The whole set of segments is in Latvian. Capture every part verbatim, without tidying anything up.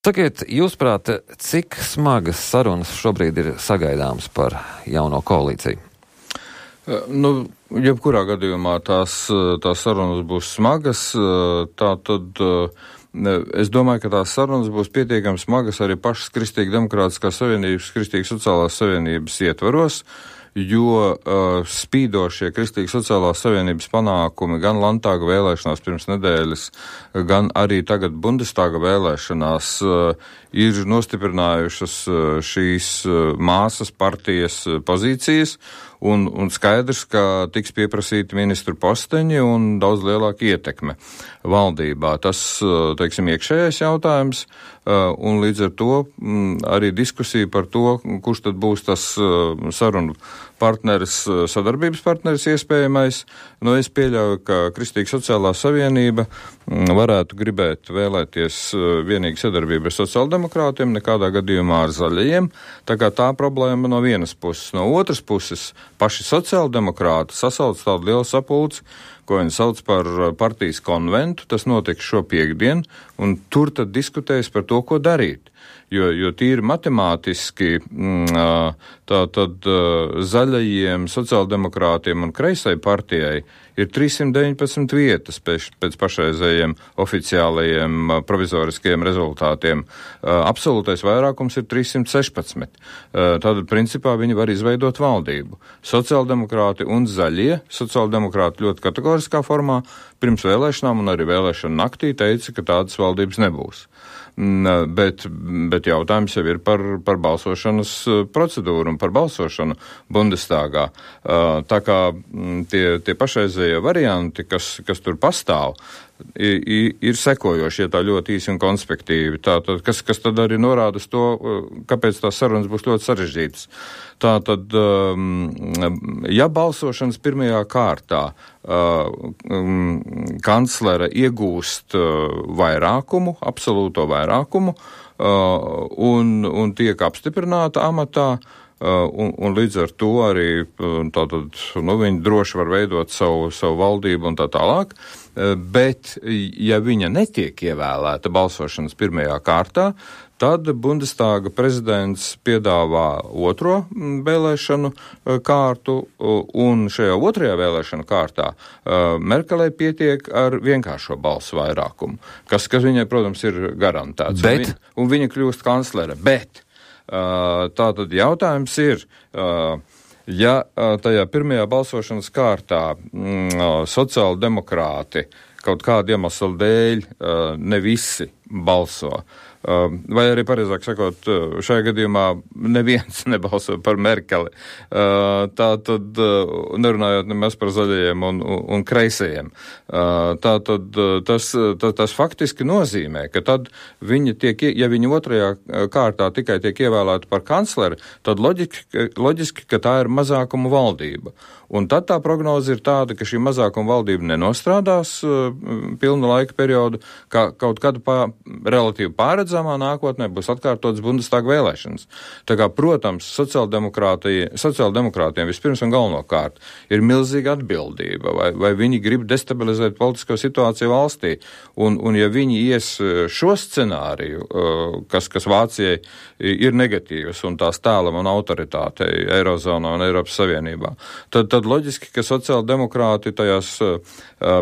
Sakiet, jūsuprāt, cik smagas sarunas šobrīd ir sagaidāmas par jauno koalīciju? Nu, jebkurā gadījumā tās, tās sarunas būs smagas, tā tad es domāju, ka tās sarunas būs pietiekami smagas arī pašas Kristīga demokrātiskās savienības, Kristīga sociālās savienības ietvaros, jo uh, spīdošie Kristīga sociālās savienības panākumi gan Landtāga vēlēšanās pirms nedēļas, gan arī tagad Bundestāga vēlēšanās uh, ir nostiprinājušas uh, šīs uh, māsas partijas uh, pozīcijas, un, un skaidrs, ka tiks pieprasīti ministru posteņi un daudz lielāka ietekme valdībā. Tas, uh, teiksim, iekšējais jautājums, uh, un līdz ar to mm, arī diskusija par to, kurš tad būs tas uh, sarunu partneris, sadarbības partneris iespējamais. Nu, es pieļauju, ka Kristīga sociālā savienība varētu gribēt vēlēties vienīgi sadarbību ar sociāldemokrātiem, nekādā gadījumā ar zaļajiem. Tā kā tā problēma no vienas puses. No otras puses, paši sociāldemokrāti sasauc tādu lielu sapulci, ko viņi sauc par partijas konventu. Tas notiks šo piekdienu, un tur tad diskutēs par to, ko darīt. Jo, jo tīri matemātiski tā tad zaļajiem, sociāldemokrātiem un kreisai partijai ir trīssimt deviņpadsmit vietas pēc, pēc pašreizējiem oficiālajiem provizoriskajiem rezultātiem. Absolūtais vairākums ir trīssimt sešpadsmit. Tātad, principā, viņi var izveidot valdību. Sociāldemokrāti un zaļie, sociāldemokrāti ļoti kategoriskā formā, pirms vēlēšanām un arī vēlēšanu naktī teica, ka tādas valdības nebūs. Bet, bet jautājums jau ir par, par balsošanas procedūru un par balsošanu Bundestāgā. Tā kā tie, tie pašreizējie varianti, kas, kas tur pastāv, ir, ir sekojoši, ja tā ļoti īsi un konspektīvi. Tātad, kas, kas tad arī norāda uz to, kāpēc tās sarunas būs ļoti sarežģītas. Tātad, ja balsošanas pirmajā kārtā kanclere iegūst vairākumu, absolūto vairākumu, un, un tiek apstiprināta amatā, un, un līdz ar to arī tātad, nu, viņi droši var veidot savu, savu valdību un tā tālāk, bet ja viņa netiek ievēlēta balsošanas pirmajā kārtā, tad Bundestāga prezidents piedāvā otro vēlēšanu kārtu, un šajā otrajā vēlēšanu kārtā Merkelei pietiek ar vienkāršo balsu vairākumu, kas, kas viņai, protams, ir garantēts. Bet? Un, viņa, un viņa kļūst kanclere. Bet tātad jautājums ir, ja tajā pirmajā balsošanas kārtā sociāldemokrāti kaut kādu iemeslu dēļ ne visi balso, vai arī, pareizāk sakot, šajā gadījumā neviens nebalso par Merkeli. Tā tad, nerunājot nemaz par zaļajiem un, un kreisajiem, tā tad tas, tas, tas faktiski nozīmē, ka tad viņi tiek, ja viņi otrajā kārtā tikai tiek ievēlēti par kancleri, tad loģiski, loģiski, ka tā ir mazākumu valdība. Un tad tā prognoze ir tāda, ka šī mazākuma valdība nenostrādās uh, pilnu laika periodu, ka kaut kad pā, relatīvi pārredzamā nākotnē būs atkārtotas Bundestāga vēlēšanas. Tā kā, protams, sociāldemokrātiem vispirms un galvenokārt ir milzīga atbildība, vai, vai viņi grib destabilizēt politisko situāciju valstī. Un, un ja viņi ies šo scenāriju, uh, kas, kas Vācijai ir negatīvs un tās tēlam un autoritātei Eirozonā un Eiropas Savienībā, tad tad loģiski, ka sociāldemokrāti tajās uh,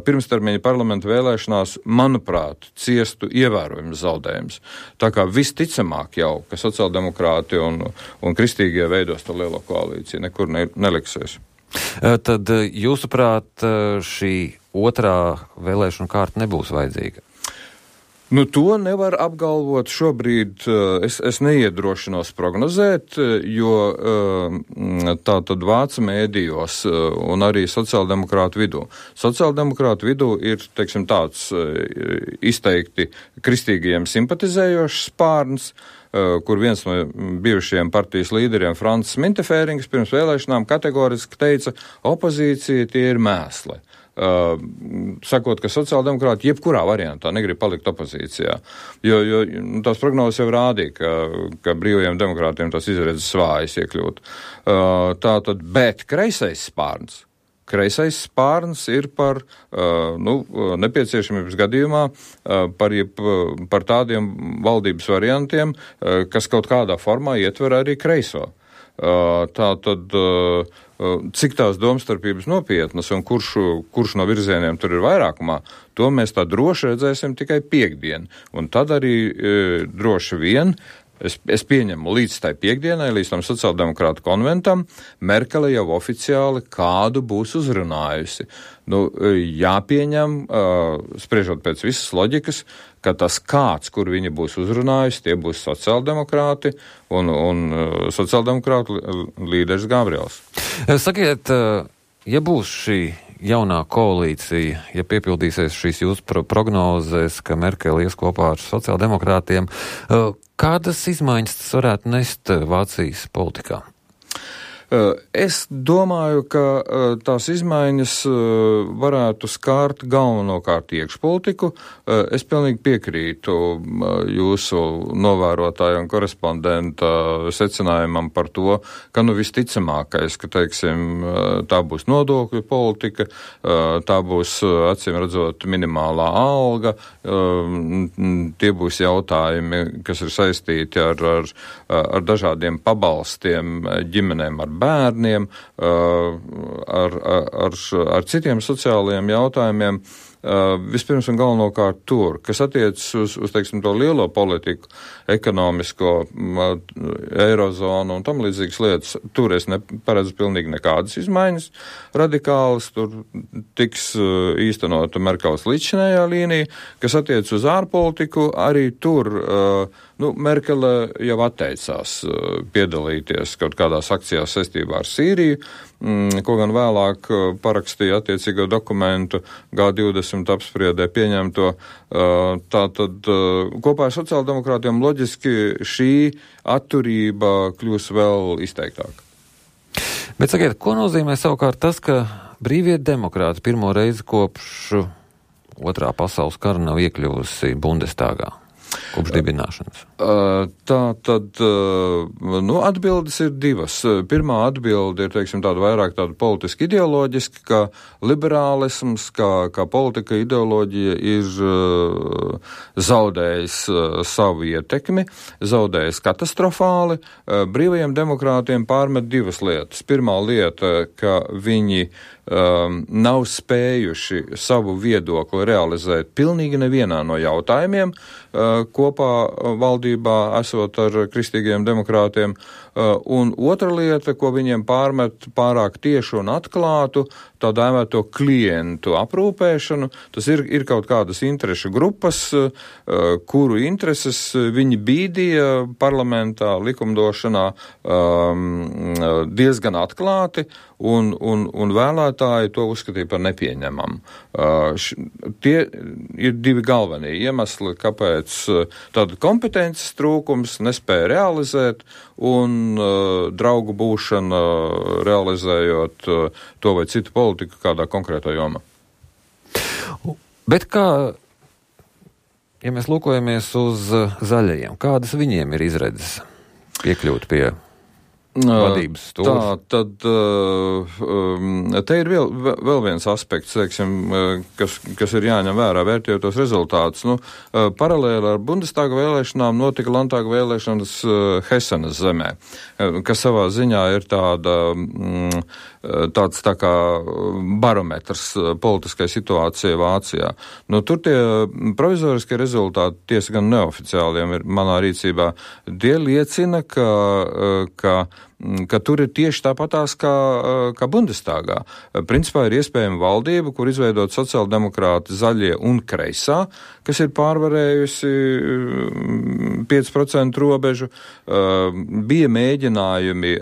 pirmstermiņa parlamenta vēlēšanās, manuprāt, ciestu ievērojams zaudējums. Tā kā visticamāk jau, ka sociāldemokrāti un, un kristīgie veidos to lielo koalīciju, nekur ne, neliksies. Tad, jūsuprāt, šī otrā vēlēšana kārta nebūs vajadzīga? Nu, to nevar apgalvot šobrīd, es, es neiedrošinos prognozēt, jo tā tad vācu mēdījos un arī sociāldemokrātu vidū. Sociāldemokrātu vidū ir, teiksim, tāds izteikti kristīgajiem simpatizējošs spārns, kur viens no bijušajiem partijas līderiem, Francis Mintefērings, pirms vēlēšanām kategoriski teica, opozīcija tie ir mēsli. Uh, sakot, ka sociāldemokrāti jebkurā variantā negrib palikt opozīcijā, jo, jo tās prognozes jau rādīja, ka, ka brīvajiem demokrātiem tas izredzes svājas iekļūt. Uh, tā tad, bet kreisais spārns kreisais spārns ir par uh, nu, nepieciešamības gadījumā uh, par, jeb, par tādiem valdības variantiem, uh, kas kaut kādā formā ietver arī kreiso. Uh, tā tad, uh, cik tās domstarpības nopietnas un kurš, kurš no virzieniem tur ir vairākumā, to mēs tā droši redzēsim tikai piekdien. Un tad arī uh, droši vien Es, es pieņemu līdz tai piekdienai, līdz tam sociāldemokrātu konventam, Merkele jau oficiāli kādu būs uzrunājusi. Nu, jāpieņem, uh, spriežot pēc visas loģikas, ka tas kāds, kur viņa būs uzrunājusi, tie būs sociāldemokrāti un, un uh, sociāldemokrātu līderis Gabriels. Sakiet, ja būs šī jaunā koalīcija, ja piepildīsies šīs jūsu pro- prognozes, ka Merkele ies kopā ar sociāldemokrātiem, uh, kādas izmaiņas tas varētu nest Vācijas politikā? Es domāju, ka tās izmaiņas varētu skārt galvenokārt iekšpolitiku. Es pilnīgi piekrītu jūsu novērotāja un korespondenta secinājumam par to, ka nu visticamākais, ka, teiksim, tā būs nodokļu politika, tā būs, acīm redzot, minimālā alga, tie būs jautājumi, kas ir saistīti ar, ar, ar dažādiem pabalstiem ģimenēm ar bērniem, ar, ar, ar citiem sociālajiem jautājumiem, vispirms un galvenokārt tur, kas attiecas uz, uz, teiksim, to lielo politiku, ekonomisko, eirozonu un tam līdzīgas lietas, tur es neparedzu pilnīgi nekādas izmaiņas radikālas, tur tiks īstenota Merkeles līdzšinējā līnija, kas attiecas uz ārpolitiku, arī tur, nu, Merkele jau atteicās piedalīties kaut kādās akcijās saistībā ar Sīriju, ko gan vēlāk parakstīja attiecīgo dokumentu G divdesmit apspriedē pieņemto. Tātad kopā ar sociāldemokrātiem loģiski šī atturība kļūs vēl izteiktāka. Bet sakiet, ko nozīmē savukārt tas, ka brīvie demokrāti pirmo reizi kopš otrā pasaules kara nav iekļuvusi Bundestagā? Kopš dibināšanas? Tā tad, nu, atbildes ir divas. Pirmā atbilde ir, teiksim, tāda vairāk tāda politiski ideoloģiska, ka liberālisms, kā, kā politika ideoloģija ir zaudējis savu ietekmi, zaudējis katastrofāli. Brīvajiem demokrātiem pārmet divas lietas. Pirmā lieta, ka viņi um, nav spējuši savu viedokli realizēt pilnīgi nevienā no jautājumiem, uh, kopā valdībā esot ar kristīgiem demokrātiem. Un otra lieta, ko viņiem pārmet pārāk tiešu un atklātu, tā dēvēto klientu aprūpēšanu, tas ir, ir kaut kādas interešu grupas, kuru intereses viņi bīdīja parlamentā, likumdošanā diezgan atklāti, un, un, un vēlētāji to uzskatīja par nepieņemamu. Tie ir divi galvenie iemesli, kāpēc tāda kompetences trūkums nespēja realizēt, un uh, draugu būšana uh, realizējot uh, to vai citu politiku kādā konkrētā jomā. Bet kā, ja mēs lūkojamies uz uh, zaļajiem, kādas viņiem ir izredzes piekļūt pie vadības stūra? Tā, tad um, te ir vēl, vēl viens aspekts, teiksim, kas, kas ir jāņem vērā, vērtējot tos rezultātus. Nu, paralēli ar Bundestaga vēlēšanām notika Landtāga vēlēšanas Hesenas zemē, kas savā ziņā ir tāda, mm, tāds tā kā barometrs politiskai situācijai Vācijā. Nu, tur tie provizoriskie rezultāti, tiesa gan neoficiāliem ir manā rīcībā, tie liecina, ka, ka ka tur ir tieši tāpatās kā, kā Bundestagā. Principā ir iespējama valdība, kur izveidot sociāldemokrāti, zaļie un kreisā, kas ir pārvarējusi pieci procenti robežu. Bija mēģinājumi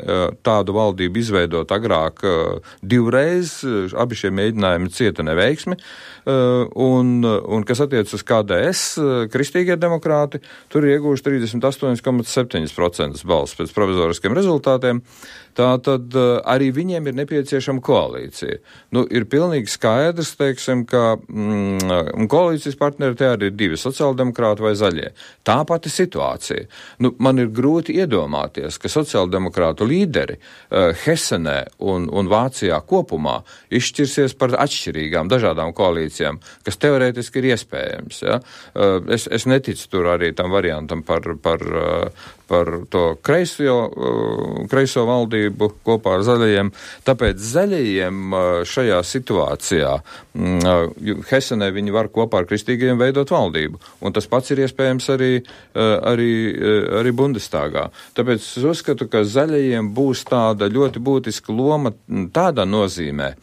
tādu valdību izveidot agrāk divreiz, abi šie mēģinājumi cieta neveiksmi. Un, un kas attiec uz K D S, kristīgie demokrāti, tur ir iegūši trīsdesmit astoņi komats septiņi procenti balss pēc provizoriskiem rezultātiem. Tātad arī viņiem ir nepieciešama koalīcija. Nu, ir pilnīgi skaidrs, teiksim, ka mm, koalīcijas partneri te arī ir divi sociāldemokrāti vai zaļie. Tā pati situācija. situācija. Nu, man ir grūti iedomāties, ka sociāldemokrātu līderi uh, Hesenē un, un Vācijā kopumā izšķirsies par atšķirīgām, dažādām koalīcijām, kas teorētiski ir iespējams. Ja? Uh, es, es neticu tur arī tam variantam par, par, uh, par to kreiso, uh, kreiso valdību kopā ar zaļajiem. Tāpēc zaļajiem uh, šajā situācijā uh, Hesenē viņi var kopā ar kristīgajiem veidot valdību. Un tas pats ir iespējams arī, arī, arī Bundestāgā. Tāpēc es uzskatu, ka zaļajiem būs tāda ļoti būtiska loma tādā nozīmē,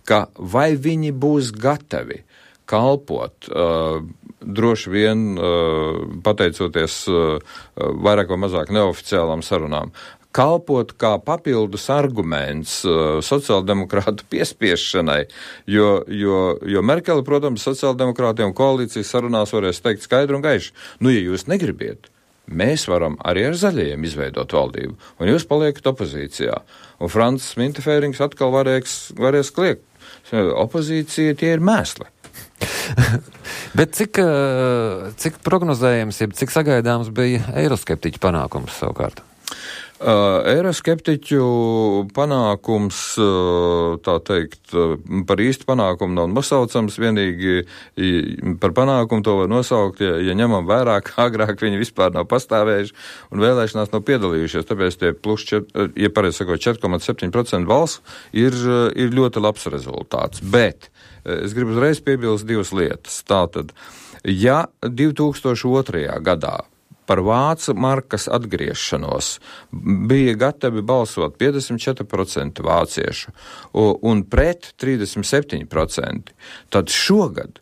ka vai viņi būs gatavi kalpot, uh, droši vien uh, pateicoties uh, vairāk vai mazāk neoficiālām sarunām, kalpot kā papildus arguments uh, sociāldemokrātu piespiešanai, jo, jo, jo Merkele, protams, sociāldemokrātiem koalīcijas sarunās varēs teikt skaidru un gaišu. Nu, ja jūs negribiet, mēs varam arī ar zaļajiem izveidot valdību, un jūs paliekat opozīcijā. Un Francis Mintefērings atkal varēs, varēs kliegt. Opozīcija tie ir mēsli. Bet cik, cik prognozējams, jeb cik sagaidāms bija eiroskeptiķu panākums savukārt? Uh, Eiroskeptiķu panākums, uh, tā teikt, uh, par īstu panākumu nav nosaucams, vienīgi par panākumu to var nosaukt, ja, ja ņemam vērā, ka agrāk viņi vispār nav pastāvējuši un vēlēšanās nav piedalījušies, tāpēc tie plus, čet, ja pareizi sakot, četri komats septiņi procenti balsu ir, ir ļoti labs rezultāts. Bet es gribu uzreiz piebilst divas lietas. Tātad, ja divi tūkstoši otrajā gadā par vācu markas atgriešanos bija gatavi balsot piecdesmit četri procenti vāciešu un pret trīsdesmit septiņi procenti, tad šogad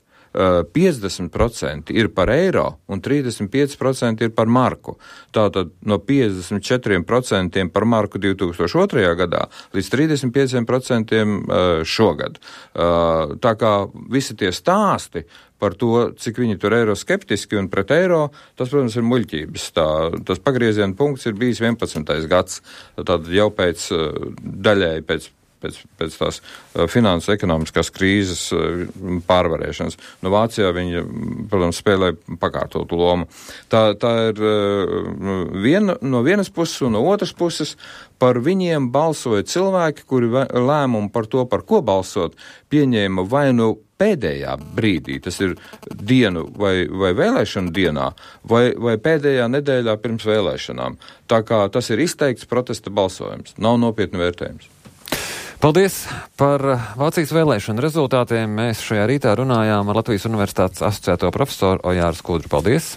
piecdesmit procenti ir par eiro un trīsdesmit pieci procenti ir par marku. Tātad no piecdesmit četriem procentiem par marku divi tūkstoši otrajā gadā līdz trīsdesmit pieciem procentiem šogad. Tā kā visi tie stāsti par to, cik viņi tur eiroskeptiski un pret eiro, tas, protams, ir muļķības. Tā, tas pagrieziena punkts ir bijis vienpadsmitais gads, tad jau pēc daļēji pēc Pēc, pēc tās uh, finanses ekonomiskās krīzes uh, pārvarēšanas. No Vācijā viņi, protams, spēlē pakārtotu lomu. Tā, tā ir uh, viena, no vienas puses un no otras puses par viņiem balsoja cilvēki, kuri lēmumu par to, par ko balsot, pieņēma vai nu pēdējā brīdī, tas ir dienu vai, vai vēlēšanu dienā, vai, vai pēdējā nedēļā pirms vēlēšanām. Tā kā tas ir izteikts protesta balsojums, nav nopietni vērtējums. Paldies par Vācijas vēlēšanu rezultātiem. Mēs šajā rītā runājām ar Latvijas Universitātes asociēto profesoru Ojāru Skudru. Paldies!